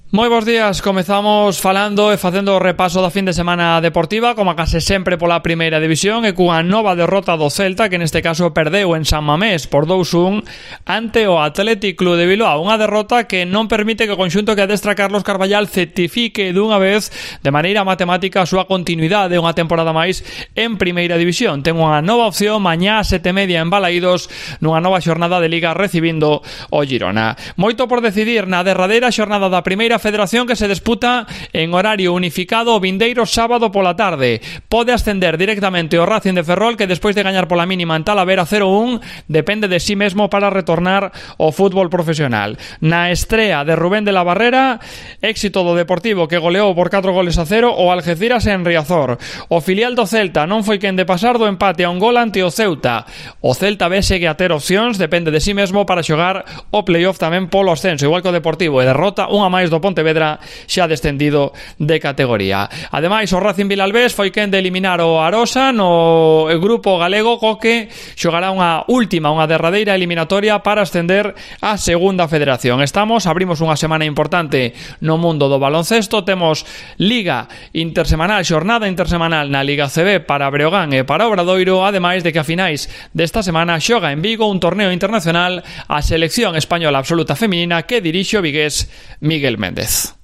Moi bons días, comezamos falando e facendo o repaso da fin de semana deportiva, como case sempre pola primeira división, e cunha nova derrota do Celta, que neste caso perdeu en San Mamés por 2-1 ante o Athletic Club de Bilbao, unha derrota que non permite que o conxunto que adestra Carlos Carballal certifique dunha vez de maneira matemática a súa continuidade unha temporada máis en primeira división. Ten unha nova opción mañá a 7:30 en Balaídos nunha nova xornada de Liga recibindo o Girona. Moito por decidir na derradeira xornada da primeira federación que se disputa en horario unificado o vindeiro sábado pola tarde. Pode ascender directamente o Racing de Ferrol, que despois de gañar pola mínima en Talavera 0-1 depende de sí mesmo para retornar ao fútbol profesional. Na estrea de Rubén de la Barrera, éxito do Deportivo, que goleou por 4-0 o Algeciras en Riazor. O filial do Celta non foi quen de pasar do empate a un gol ante o Ceuta. O Celta B segue a ter opcións, depende de sí mesmo para xogar o playoff tamén polo ascenso, igual que o Deportivo, e derrota unha máis do Pontevedra, xa descendido de categoría. Ademais, o Racing Vilalbés foi quen de eliminar o Arosa no grupo galego, co que xogará unha derradeira eliminatoria para ascender á segunda federación. Abrimos unha semana importante no mundo do baloncesto. Temos Liga intersemanal, xornada intersemanal na Liga CB para Breogán e para Obradoiro, ademais de que a finais desta semana xoga en Vigo un torneo internacional a selección española absoluta feminina que dirixe o vigués Miguel Méndez.